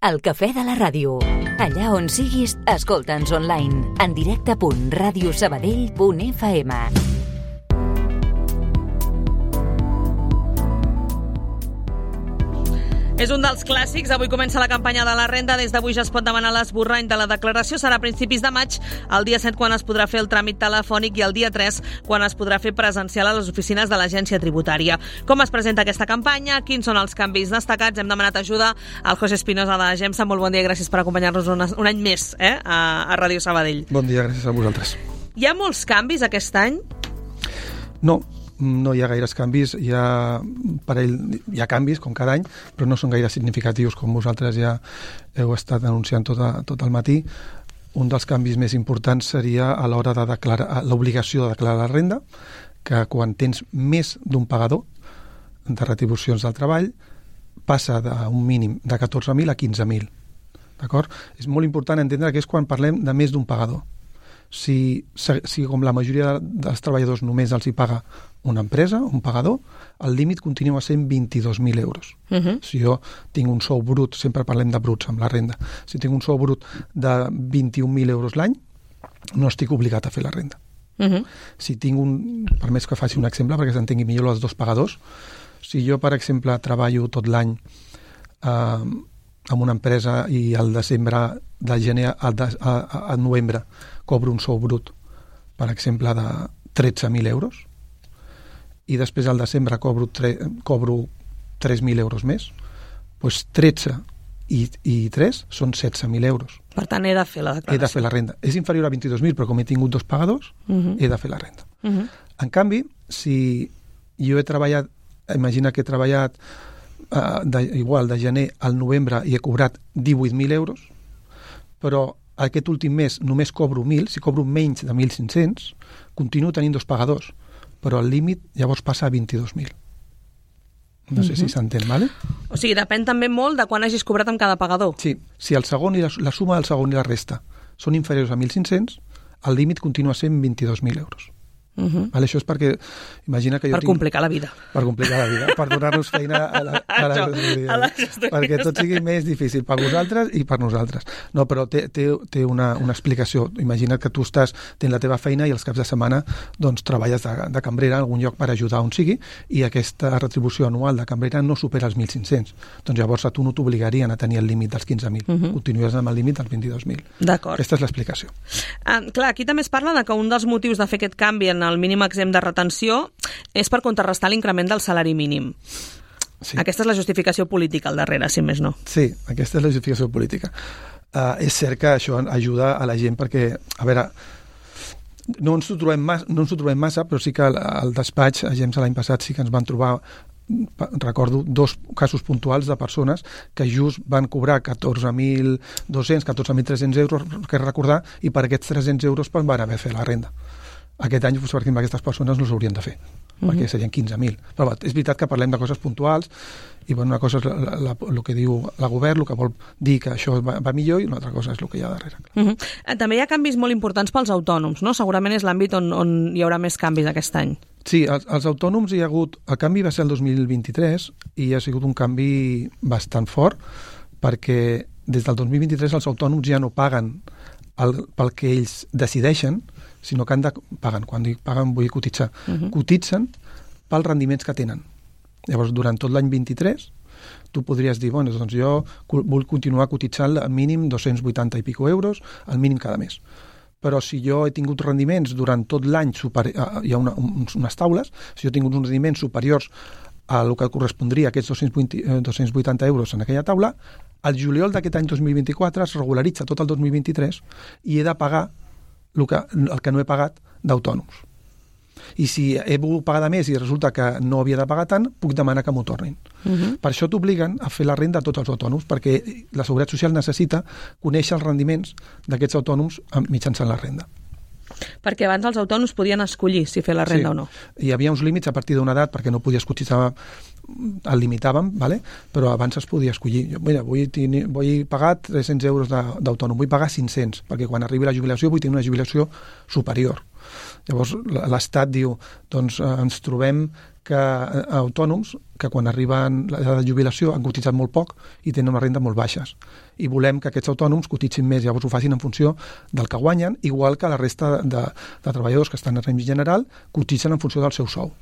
El cafè de la ràdio. Allà on siguis, escolta'ns online. En directe.radiosabadell.fm. És un dels clàssics. Avui comença la campanya de la renda. Des d'avui ja es pot demanar l'esborrany de la declaració. Serà a principis de maig, el dia 7 quan es podrà fer el tràmit telefònic i el dia 3 quan es podrà fer presencial a les oficines de l'Agència Tributària. Com es presenta aquesta campanya? Quins són els canvis destacats? Hem demanat ajuda al José Espinosa de GEMSA. Molt bon dia, gràcies per acompanyar-nos un any més a Ràdio Sabadell. Bon dia, gràcies a vosaltres. Hi ha molts canvis aquest any? No hi ha gaires canvis, hi ha canvis, com cada any, però no són gaire significatius, com vosaltres ja heu estat anunciant tot el matí. Un dels canvis més importants seria a l'hora de declarar l'obligació de declarar la renda, que quan tens més d'un pagador de retribucions del treball, passa d'un mínim de 14.000 a 15.000. D'acord? És molt important entendre que és quan parlem de més d'un pagador. Si com la majoria dels treballadors només els hi paga una empresa, un pagador, el límit continua sent 22.000 euros. Si jo tinc un sou brut, sempre parlem de bruts amb la renda, si tinc un sou brut de 21.000 euros l'any, no estic obligat a fer la renda. Si tinc per més que faci un exemple perquè s'entengui millor els dos pagadors, si jo, per exemple, treballo tot l'any amb una empresa i al desembre, de gener a novembre, cobro un sou brut, per exemple, de 13.000 euros, i després al desembre cobro 3.000 euros més, doncs 13 i 3 són 16.000 euros. Per tant, he de fer la declaració. He de fer la renda. És inferior a 22.000, però com he tingut dos pagadors, he de fer la renda. En canvi, si jo he treballat, imagina que he treballat igual de gener al novembre i he cobrat 18.000 euros, però aquest últim mes només cobro 1.000, si cobro menys de 1.500, continuo tenint dos pagadors, però el límit llavors passa a 22.000. No sé si s'entén, ¿vale? O sigui, depèn també molt de quan hagis cobrat amb cada pagador. Sí, si el segon i la suma del segon i la resta són inferiors a 1.500, el límit continua sent 22.000 euros. Vale, això és perquè, imagina que jo per complicar la vida. Per complicar la vida, per donar-nos feina a la perquè tot sigui més difícil per vosaltres i per nosaltres. No, però té una explicació. Imagina que tu tens la teva feina i els caps de setmana doncs, treballes de cambrera en algun lloc per ajudar on sigui i aquesta retribució anual de cambrera no supera els 1.500. Doncs llavors a tu no t'obligarien a tenir el límit dels 15.000. Continues amb el límit dels 22.000. D'acord. Aquesta és l'explicació. Clar, aquí també es parla de que un dels motius de fer aquest canvi en el mínim exempt de retenció és per contrarrestar l'increment del salari mínim. Sí. Aquesta és la justificació política al darrere, si més no. Sí, aquesta és la justificació política. És cert que això ajuda a la gent perquè, a veure, no ens ho trobem massa, però sí que al despatx, a GEMSA l'any passat sí que ens van trobar, recordo, dos casos puntuals de persones que just van cobrar 14.200, 14.300 euros, que recordar, i per aquests 300 euros van haver fet la renda. Aquest any, perquè aquestes persones no s'haurien de fer, perquè serien 15.000. Però és veritat que parlem de coses puntuals i una cosa és el que diu el govern, el que vol dir que això va millor, i una altra cosa és el que hi ha darrere. També hi ha canvis molt importants pels autònoms, no? Segurament és l'àmbit on hi haurà més canvis aquest any. Sí, els autònoms hi ha hagut... El canvi va ser el 2023 i ha sigut un canvi bastant fort perquè des del 2023 els autònoms ja no paguen pel que ells decideixen, sinó que paguen. Quan dic paguen vull cotitzar. Cotitzen pels rendiments que tenen. Llavors, durant tot l'any 23, tu podries dir, bueno, doncs jo vull continuar cotitzant al mínim 280 i pico euros, al mínim cada mes. Però si jo he tingut rendiments durant tot l'any, hi ha unes taules, si jo he tingut uns rendiments superiors a el que correspondria a aquests 280 euros en aquella taula, al juliol d'aquest any 2024 es regularitza tot el 2023 i he de pagar el que no he pagat d'autònoms. I si he volgut pagar de més i resulta que no havia de pagar tant, puc demanar que m'ho tornin. Per això t'obliguen a fer la renda a tots els autònoms, perquè la Seguretat Social necessita conèixer els rendiments d'aquests autònoms mitjançant la renda. Perquè abans els autònoms podien escollir si fer la renda o no. Hi havia uns límits a partir d'una edat perquè no podies cotitzar, el limitàvem, ¿vale? Però abans es podia escollir. Mira, vull pagar 300 euros d'autònom, vull pagar 500, perquè quan arribi la jubilació vull tenir una jubilació superior. Llavors l'Estat diu, doncs ens trobem autònoms que quan arriben a l'edat de jubilació han cotitzat molt poc i tenen unes rendes molt baixes. I volem que aquests autònoms cotitzin més, llavors ho facin en funció del que guanyen, igual que la resta de treballadors que estan en règim general cotitzen en funció del seu sou.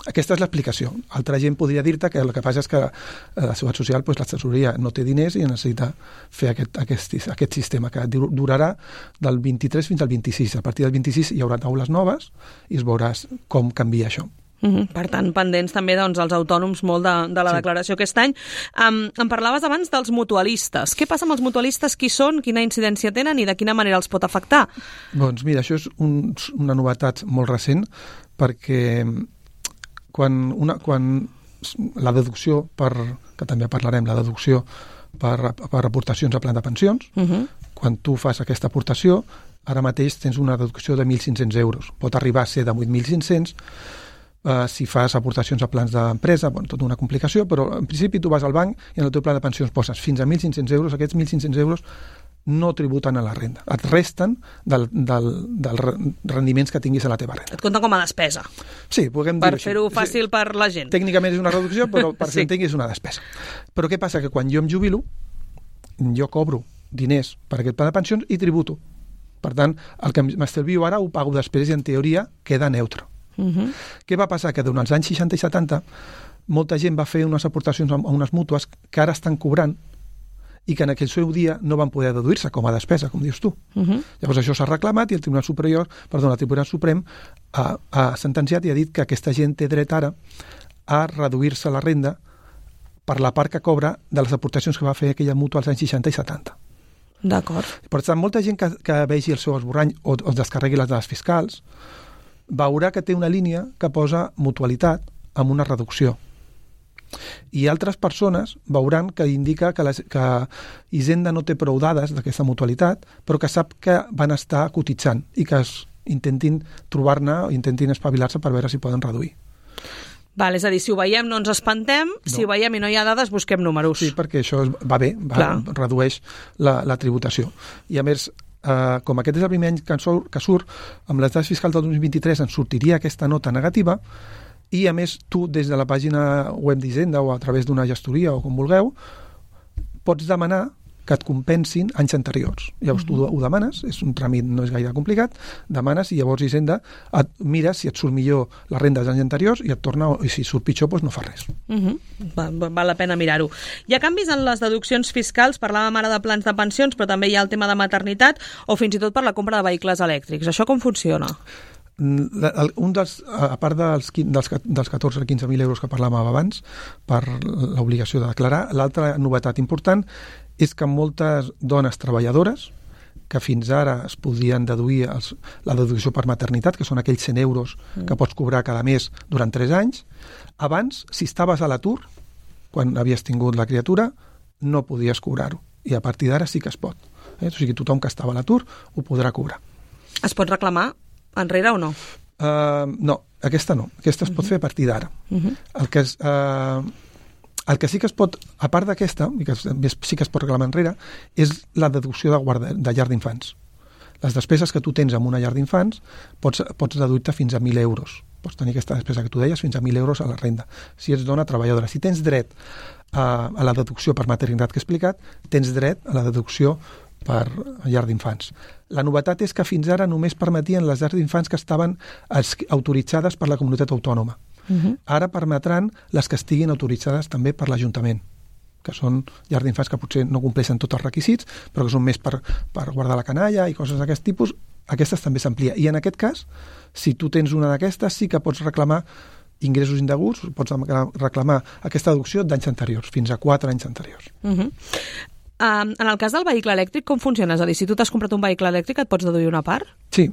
Aquesta és l'explicació. Altra gent podria dir-te que el que passa és que la Seguretat Social, la tresoreria no té diners i necessita fer aquest sistema que durarà del 23 fins al 26. A partir del 26 hi haurà taules noves i es veuràs com canvia això. Per tant, pendents també doncs, els autònoms molt de la declaració aquest any. Em parlaves abans dels mutualistes. Què passa amb els mutualistes? Qui són? Quina incidència tenen i de quina manera els pot afectar? Doncs mira, això és una novetat molt recent perquè quan la deducció que també parlarem, la deducció per aportacions a plan de pensions, quan tu fas aquesta aportació, ara mateix tens una deducció de 1.500 euros. Pot arribar a ser de 8.500 si fas aportacions a plans d'empresa, tota una complicació, però en principi tu vas al banc i en el teu pla de pensions poses fins a 1.500 euros, aquests 1.500 euros no tributen a la renda, et resten dels rendiments que tinguis a la teva renda. Et compten com a despesa. Sí, podem dir-ho així. Per fer-ho fàcil per la gent. Tècnicament és una reducció, però per si entenguis és una despesa. Però què passa? Que quan jo em jubilo, jo cobro diners per aquest pla de pensions i tributo. Per tant, el que m'estalvio ara ho pago després i en teoria queda neutre. Què va passar? Que durant els anys 60 i 70 molta gent va fer unes aportacions a unes mútues que ara estan cobrant i que en aquell seu dia no van poder deduir-se com a despesa, com dius tu. Llavors això s'ha reclamat i el Tribunal Suprem ha sentenciat i ha dit que aquesta gent té dret ara a reduir-se la renda per la part que cobra de les aportacions que va fer aquella mútua als anys 60 i 70. D'acord. Per tant, molta gent que vegi el seu esborrany o es descarregui les dades fiscals veurà que té una línia que posa mutualitat amb una reducció. I altres persones veuran que indica que Hisenda no té prou dades d'aquesta mutualitat, però que sap que van estar cotitzant i que intentin trobar-ne o intentin espavilar-se per veure si poden reduir. Val, és a dir, si ho veiem no ens espantem, si ho veiem i no hi ha dades busquem números. Sí, perquè això va bé, redueix la tributació. I a més, com aquest és el primer any que surt, amb les dades fiscals del 2023 ens sortiria aquesta nota negativa i, a més, tu, des de la pàgina web d'Hisenda o a través d'una gestoria o com vulgueu, pots demanar que et compensin anys anteriors. Llavors tu ho demanes, és un tràmit no és gaire complicat, demanes i llavors Hisenda et mira si et surt millor la renda dels anys anteriors i et torna, i si surt pitjor, doncs no fa res. Val la pena mirar-ho. Hi ha canvis en les deduccions fiscals, parlàvem ara de plans de pensions, però també hi ha el tema de maternitat o fins i tot per la compra de vehicles elèctrics. Això com funciona? A part dels 14 o 15.000 euros que parlàvem abans per l'obligació de declarar, l'altra novetat important és que moltes dones treballadores que fins ara es podien deduir la deducció per maternitat, que són aquells 100 euros que pots cobrar cada mes durant 3 anys, abans, si estaves a l'atur, quan havies tingut la criatura, no podies cobrar-ho. I a partir d'ara sí que es pot. O sigui, tothom que estava a l'atur ho podrà cobrar. Es pot reclamar enrere o no? No, aquesta no. Aquesta es pot fer a partir d'ara. El que sí que es pot, a part d'aquesta, i que sí que es pot reclamar enrere, és la deducció de llar d'infants. Les despeses que tu tens en una llar d'infants pots deduir-te fins a 1.000 euros. Pots tenir aquesta despesa que tu deies fins a 1.000 euros a la renda. Si ets dona treballadora. Si tens dret a la deducció per maternitat que he explicat, tens dret a la deducció per llar d'infants. La novetat és que fins ara només permetien les llars d'infants que estaven autoritzades per la comunitat autònoma. Ara permetran les que estiguin autoritzades també per l'Ajuntament, que són llars d'infants que potser no compleixen tots els requisits, però que són més per guardar la canalla i coses d'aquest tipus. Aquestes també s'amplia. I en aquest cas, si tu tens una d'aquestes, sí que pots reclamar ingressos indeguts, pots reclamar aquesta deducció d'anys anteriors, fins a 4 anys anteriors. En el cas del vehicle elèctric, com funciona? És a dir, si tu t'has comprat un vehicle elèctric, et pots deduir una part? Sí.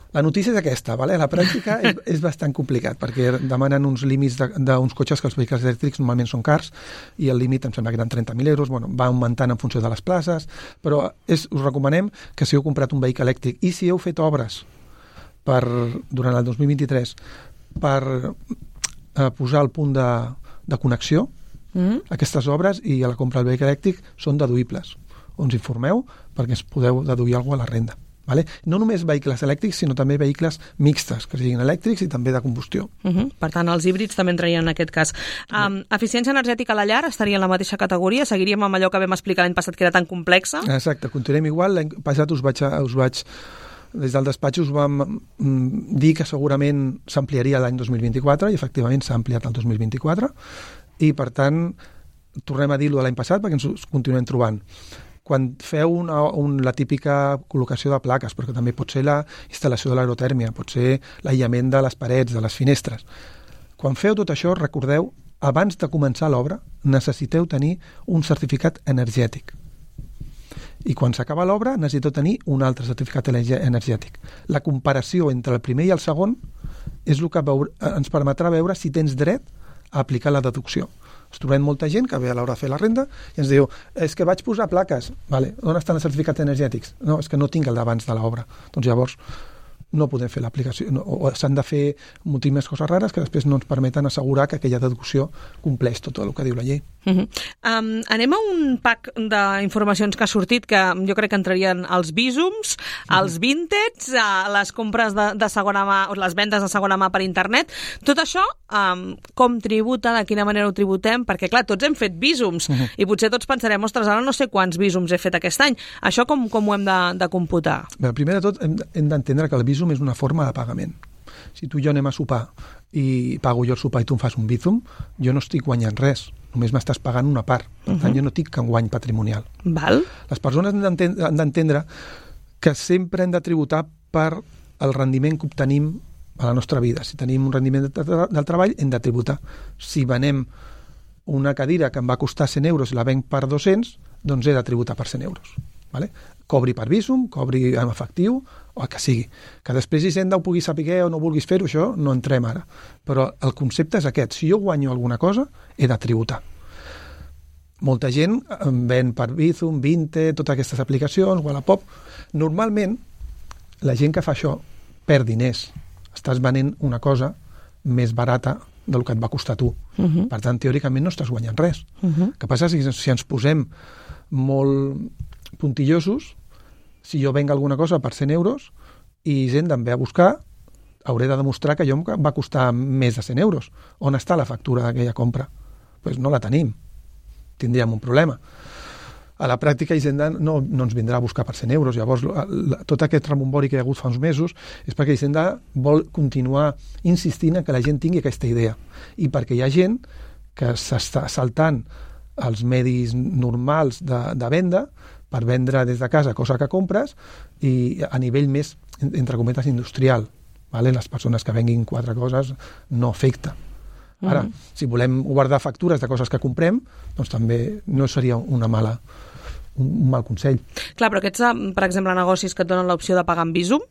La notícia és aquesta, a la pràctica és bastant complicat, perquè demanen uns límits d'uns cotxes que els vehicles elèctrics normalment són cars, i el límit em sembla que eren 30.000 euros, va augmentant en funció de les places, però us recomanem que si heu comprat un vehicle elèctric i si heu fet obres durant el 2023 per posar el punt de connexió, aquestes obres i a la compra del vehicle elèctric són deduïbles. Us informeu perquè es podeu deduir alguna cosa a la renda. Vale? No només vehicles elèctrics, sinó també vehicles mixtes, que siguin elèctrics i també de combustió. Per tant, els híbrids també entrarien en aquest cas. Eficiència energètica a la llar estaria en la mateixa categoria? Seguiríem amb allò que vam explicar l'any passat, que era tan complexa? Exacte, continuem igual. L'any passat us vaig des del despatx us vam dir que segurament s'ampliaria l'any 2024 i efectivament s'ha ampliat el 2024 i per tant tornem a dir-ho de l'any passat perquè ens continuem trobant. Quan feu la típica col·locació de plaques, perquè també pot ser la instal·lació de l'aerotèrmia, pot ser l'aïllament de les parets, de les finestres. Quan feu tot això, recordeu, abans de començar l'obra, necessiteu tenir un certificat energètic. I quan s'acaba l'obra, necessiteu tenir un altre certificat energètic. La comparació entre el primer i el segon és el que ens permetrà veure si tens dret a aplicar la deducció. Ens trobem molta gent que ve a l'hora de fer la renda i ens diu, és que vaig posar plaques. Vale, on estan els certificats energètics? No, és que no tinc el d'abans de l'obra. Doncs llavors no podem fer l'aplicació, o s'han de fer moltíssimes coses rares que després no ens permeten assegurar que aquella deducció compleix tot el que diu la llei. Anem a un pack d'informacions que ha sortit, que jo crec que entrarien els bísums, els vintage, les compres de segona mà, o les vendes de segona mà per internet. Tot això, com tributa, de quina manera ho tributem? Perquè, clar, tots hem fet bísums i potser tots pensarem, ostres, ara no sé quants bísums he fet aquest any. Això com ho hem de computar? Bé, primer de tot, hem d'entendre que el bísum és una forma de pagament. Si tu i jo anem a sopar i pago jo el sopar i tu em fas un bísum, jo no estic guanyant res, només m'estàs pagant una part. Per tant, jo no tinc cap guany patrimonial. Val. Les persones han d'entendre que sempre hem de tributar per el rendiment que obtenim a la nostra vida. Si tenim un rendiment del treball, hem de tributar. Si venem una cadira que em va costar 100 euros i la venc per 200, doncs he de tributar per 100 euros. Vale? Cobri per bísum, cobri en efectiu, o el que sigui. Que després Hisenda ho pugui saber o no vulguis fer-ho, això no entrem ara. Però el concepte és aquest. Si jo guanyo alguna cosa, he de tributar. Molta gent ven per Bizum, Vinte, totes aquestes aplicacions, Wallapop. Normalment, la gent que fa això perd diners. Estàs venent una cosa més barata del que et va costar tu. Per tant, teòricament no estàs guanyant res. El que passa és que si ens posem molt puntillosos, si jo venc alguna cosa per 100 euros i gent em ve a buscar, hauré de demostrar que allò em va costar més de 100 euros. On està la factura d'aquella compra? Doncs no la tenim. Tindríem un problema. A la pràctica, Hisenda no ens vindrà a buscar per 100 euros. Llavors, tot aquest rebombori que hi ha hagut fa uns mesos és perquè Hisenda vol continuar insistint en que la gent tingui aquesta idea. I perquè hi ha gent que s'està saltant els medis normals de venda per vendre des de casa cosa que compres i a nivell més, entre cometes, industrial. Vale? Les persones que venguin 4 coses no afecta. Ara, si volem guardar factures de coses que comprem, doncs també no seria un mal consell. Clar, però aquests, per exemple, negocis que et donen l'opció de pagar en bísum,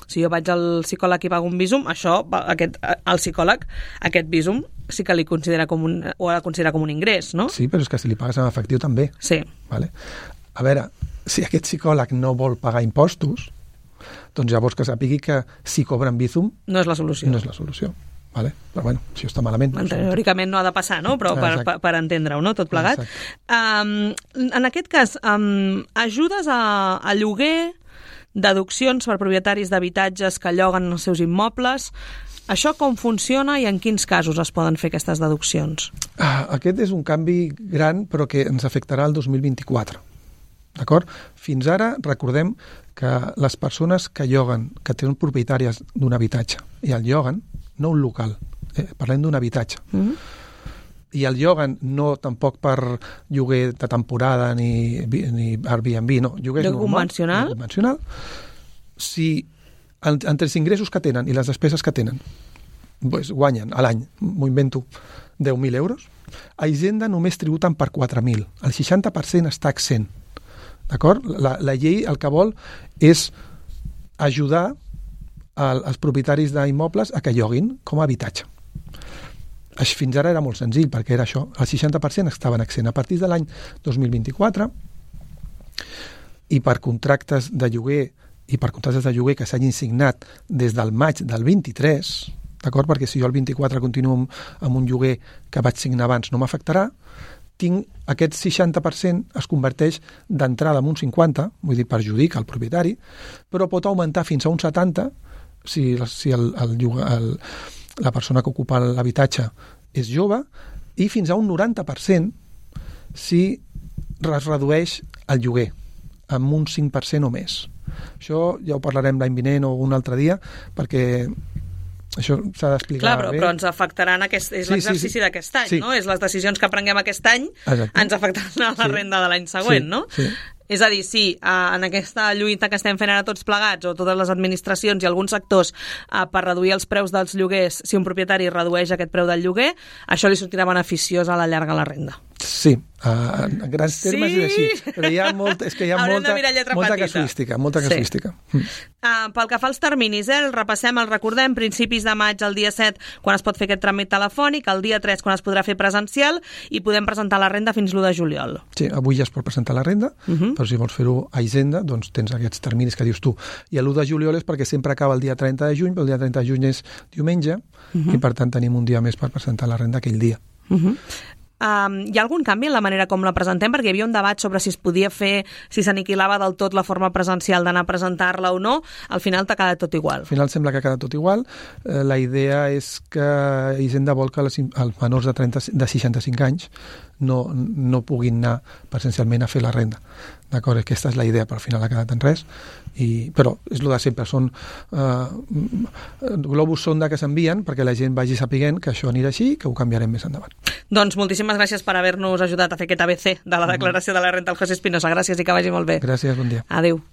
si jo vaig al psicòleg i pago un bísum, el psicòleg, aquest bísum sí que li considera ho ha de considerar com un ingrés, no? Sí, però és que si li pagues en efectiu també. Sí. Vale? A veure, si aquest psicòleg no vol pagar impostos, doncs llavors que sàpigui que si cobren bísum no és la solució. No és la solució. Vale? Però bueno, si està malament... Teòricament no ha de passar, no? Però per entendre-ho, no? Tot plegat. En aquest cas, ajudes a lloguer, deduccions per propietaris d'habitatges que lloguen els seus immobles. Això com funciona i en quins casos es poden fer aquestes deduccions? Aquest és un canvi gran, però que ens afectarà el 2024. D'acord? Fins ara, recordem que les persones que lloguen, que tenen propietàries d'un habitatge i el lloguen, no un local, parlem d'un habitatge. I el lloguen no tampoc per lloguer de temporada ni Airbnb, no, lloguer normal, convencional. Si entre els ingressos que tenen i les despeses que tenen doncs guanyen a l'any, m'ho invento, 10.000 euros, a Hisenda només tributen per 4.000. El 60% està exempt. D'acord? La llei el que vol és ajudar als propietaris d'immobles a que lloguin com a habitatge. Fins ara era molt senzill, perquè era això. El 60% estaven exempt. A partir de l'any 2024, i per contractes de lloguer que s'hagin signat des del maig del 23, d'acord? Perquè si jo el 24 continuo amb un lloguer que vaig signar abans no m'afectarà, aquest 60% es converteix d'entrada en un 50%, vull dir, perjudica el propietari, però pot augmentar fins a un 70% si la persona que ocupa l'habitatge és jove, i fins a un 90% si es redueix el lloguer amb un 5% o més. Això ja ho parlarem l'any vinent o un altre dia, perquè això s'ha d'explicar bé. Però ens afectaran és l'exercici d'aquest any, no? És les decisions que prenguem aquest any. Exacte. Ens afectaran a la renda de l'any següent, no? Sí. És a dir, en aquesta lluita que estem fent ara tots plegats, o totes les administracions i alguns sectors per reduir els preus dels lloguers, si un propietari redueix aquest preu del lloguer, això li sortirà beneficiós a la llarga la renda. Sí, en grans termes és així, però hi ha molta casuística. Pel que fa als terminis, el repassem, el recordem, principis de maig, el dia 7, quan es pot fer aquest tràmit telefònic, el dia 3, quan es podrà fer presencial, i podem presentar la renda fins l'1 de juliol. Sí, avui ja es pot presentar la renda, però si vols fer-ho a Hisenda, doncs tens aquests terminis que dius tu. I l'1 de juliol és perquè sempre acaba el dia 30 de juny, però el dia 30 de juny és diumenge, i per tant tenim un dia més per presentar la renda aquell dia. Hi ha algun canvi en la manera com la presentem? Perquè hi havia un debat sobre si es podia fer, si s'aniquilava del tot la forma presencial d'anar a presentar-la o no. Al final t'ha quedat tot igual. Al final sembla que ha quedat tot igual. La idea és que Hisenda vol que els menors de 65 anys no puguin anar presencialment a fer la renda. D'acord? Aquesta és la idea, però al final ha quedat en res. Però és el de sempre, són globus sonda que s'envien perquè la gent vagi sapiguent que això anirà així i que ho canviarem més endavant. Doncs moltíssimes gràcies per haver-nos ajudat a fer aquest ABC de la declaració de la renda al José Espinosa. Gràcies i que vagi molt bé. Gràcies, bon dia. Adéu.